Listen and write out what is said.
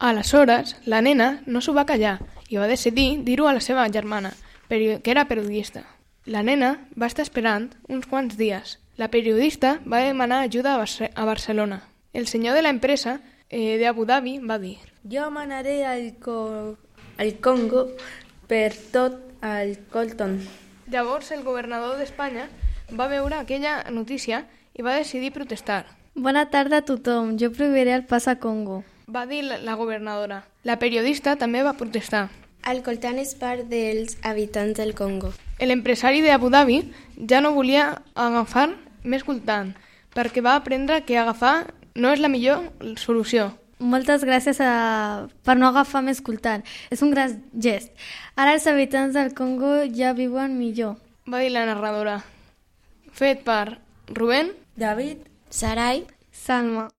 Aleshores, la nena no s'ho va callar i va decidir dir-ho a la seva germana, que era periodista. La nena va estar esperant uns quants dies. La periodista va demanar ajuda a Barcelona. El senyor de la empresa d'Abu Dhabi va dir: Jo manaré al Congo per tot el Colton. Llavors el governador d'Espanya va veure aquella notícia i va decidir protestar. Bona tarda a tothom, jo prohibiré el pas a Congo, va dir la governadora. La periodista també va protestar. El coltan és part dels habitants del Congo. L'empresari d'Abu Dhabi ja no volia agafar més coltan, perquè va aprendre que agafar no és la millor solució. Moltes gràcies per no agafar més coltan. És un gran gest. Ara els habitants del Congo ja viuen millor, va dir la narradora. Fet per Rubén, David, Sarai, Salma.